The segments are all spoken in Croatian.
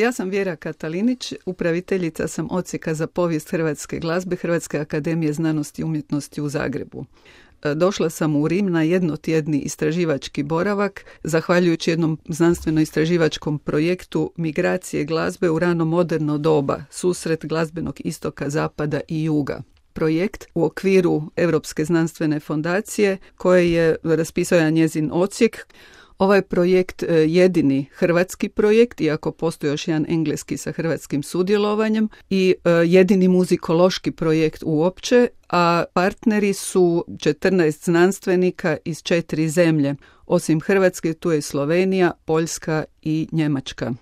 Ja sam Vjera Katalinić, upraviteljica sam Odsjeka za povijest hrvatske glazbe Hrvatske akademije znanosti i umjetnosti u Zagrebu. Došla sam u Rim na jednotjedni istraživački boravak, zahvaljujući jednom znanstveno-istraživačkom projektu Migracije glazbe u rano moderno doba, susret glazbenog istoka, zapada i juga. Projekt u okviru Europske znanstvene fondacije koje je raspisao njezin odsjek. Ovaj projekt jedini hrvatski projekt, iako postoji još jedan engleski sa hrvatskim sudjelovanjem, i jedini muzikološki projekt uopće, a partneri su 14 znanstvenika iz 4 zemlje. Osim Hrvatske, tu je Slovenija, Poljska i Njemačka.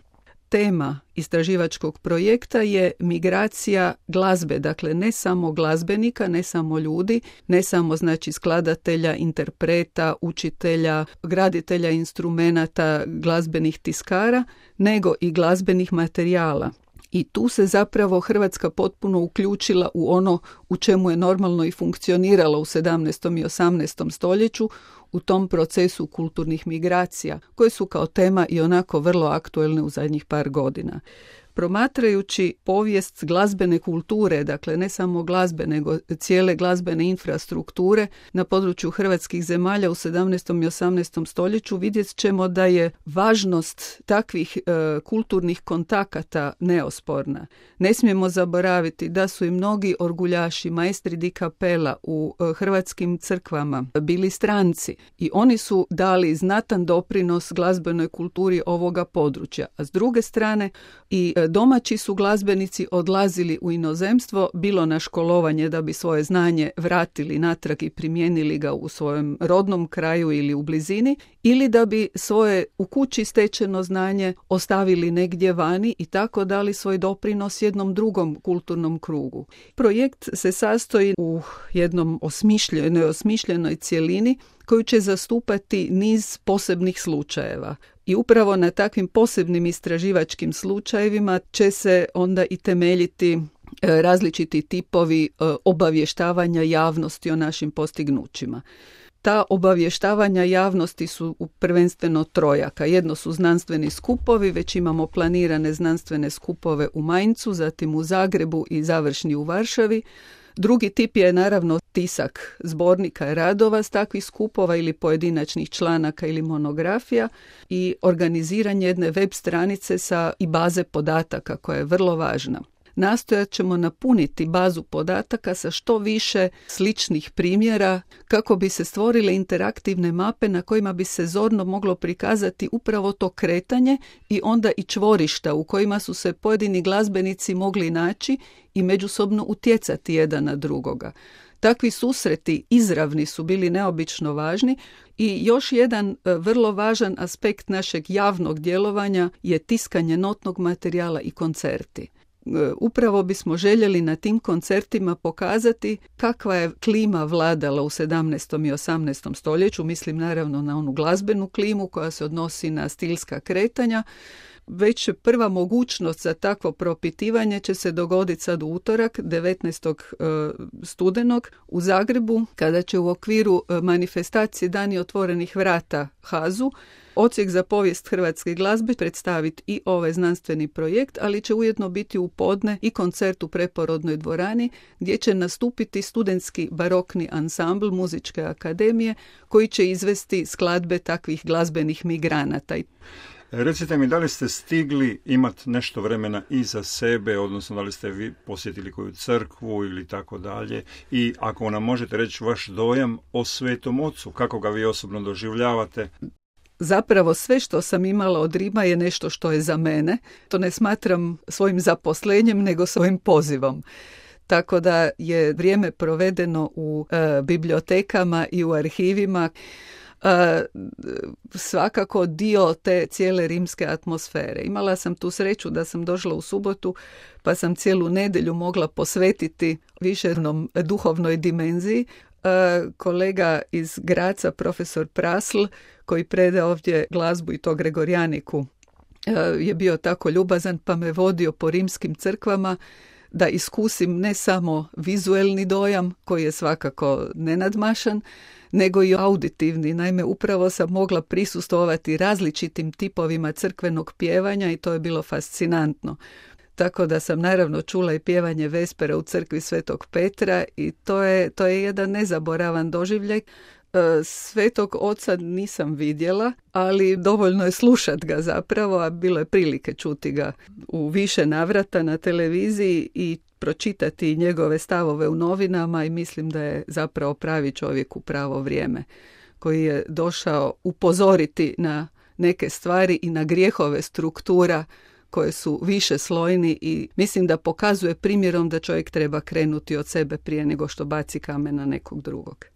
Tema istraživačkog projekta je migracija glazbe, dakle ne samo glazbenika, ne samo ljudi, ne samo znači skladatelja, interpreta, učitelja, graditelja instrumenata, glazbenih tiskara, nego i glazbenih materijala. I tu se zapravo Hrvatska potpuno uključila u ono u čemu je normalno i funkcioniralo u 17. i 18. stoljeću, u tom procesu kulturnih migracija, koje su kao tema i onako vrlo aktuelne u zadnjih par godina. Promatrajući povijest glazbene kulture, dakle ne samo glazbe, nego cijele glazbene infrastrukture na području hrvatskih zemalja u 17. i 18. stoljeću, vidjet ćemo da je važnost takvih kulturnih kontakata neosporna. Ne smijemo zaboraviti da su i mnogi orguljaši, maestri di kapela u hrvatskim crkvama bili stranci i oni su dali znatan doprinos glazbenoj kulturi ovoga područja. A s druge strane i domaći su glazbenici odlazili u inozemstvo, bilo na školovanje da bi svoje znanje vratili natrag i primijenili ga u svojem rodnom kraju ili u blizini, ili da bi svoje u kući stečeno znanje ostavili negdje vani i tako dali svoj doprinos jednom drugom kulturnom krugu. Projekt se sastoji u jednom osmišljenoj cjelini koju će zastupati niz posebnih slučajeva. I upravo na takvim posebnim istraživačkim slučajevima će se onda i temeljiti različiti tipovi obavještavanja javnosti o našim postignućima. Ta obavještavanja javnosti su prvenstveno trojaka. Jedno su znanstveni skupovi, već imamo planirane znanstvene skupove u Mainzu, zatim u Zagrebu i završni u Varšavi. Drugi tip je naravno tisak zbornika i radova s takvih skupova ili pojedinačnih članaka ili monografija i organiziranje jedne web stranice i baze podataka koja je vrlo važna. Nastojat ćemo napuniti bazu podataka sa što više sličnih primjera kako bi se stvorile interaktivne mape na kojima bi se zorno moglo prikazati upravo to kretanje i onda i čvorišta u kojima su se pojedini glazbenici mogli naći i međusobno utjecati jedan na drugoga. Takvi susreti izravni su bili neobično važni i još jedan vrlo važan aspekt našeg javnog djelovanja je tiskanje notnog materijala i koncerti. Upravo bismo željeli na tim koncertima pokazati kakva je klima vladala u 17. i 18. stoljeću, mislim naravno na onu glazbenu klimu koja se odnosi na stilska kretanja. Već prva mogućnost za takvo propitivanje će se dogoditi sad u utorak, 19. studenog u Zagrebu, kada će u okviru manifestacije Dani otvorenih vrata HAZU Odsjek za povijest hrvatske glazbe predstaviti i ovaj znanstveni projekt, ali će ujedno biti u podne i koncert u Preporodnoj dvorani gdje će nastupiti studentski barokni ansambl Muzičke akademije koji će izvesti skladbe takvih glazbenih migranata. Recite mi, da li ste stigli imati nešto vremena iza sebe, odnosno da li ste vi posjetili koju crkvu ili tako dalje, i ako nam možete reći vaš dojam o Svetom Ocu, kako ga vi osobno doživljavate? Zapravo sve što sam imala od Rima je nešto što je za mene. To ne smatram svojim zaposlenjem, nego svojim pozivom. Tako da je vrijeme provedeno u bibliotekama i u arhivima svakako dio te cijele rimske atmosfere. Imala sam tu sreću da sam došla u subotu, pa sam cijelu nedjelju mogla posvetiti višernom duhovnoj dimenziji. Kolega iz Graca, profesor Prasl, koji predaje ovdje glazbu i to Gregorijaniku, je bio tako ljubazan pa me vodio po rimskim crkvama da iskusim ne samo vizuelni dojam, koji je svakako nenadmašan, nego i auditivni. Naime, upravo sam mogla prisustvovati različitim tipovima crkvenog pjevanja i to je bilo fascinantno. Tako da sam naravno čula i pjevanje Vespera u crkvi Svetog Petra i to je jedan nezaboravan doživljaj. Svetog oca nisam vidjela, ali dovoljno je slušat ga zapravo, a bilo je prilike čuti ga u više navrata na televiziji i pročitati njegove stavove u novinama i mislim da je zapravo pravi čovjek u pravo vrijeme koji je došao upozoriti na neke stvari i na grijehove struktura koje su više slojni i mislim da pokazuje primjerom da čovjek treba krenuti od sebe prije nego što baci kamen na nekog drugog.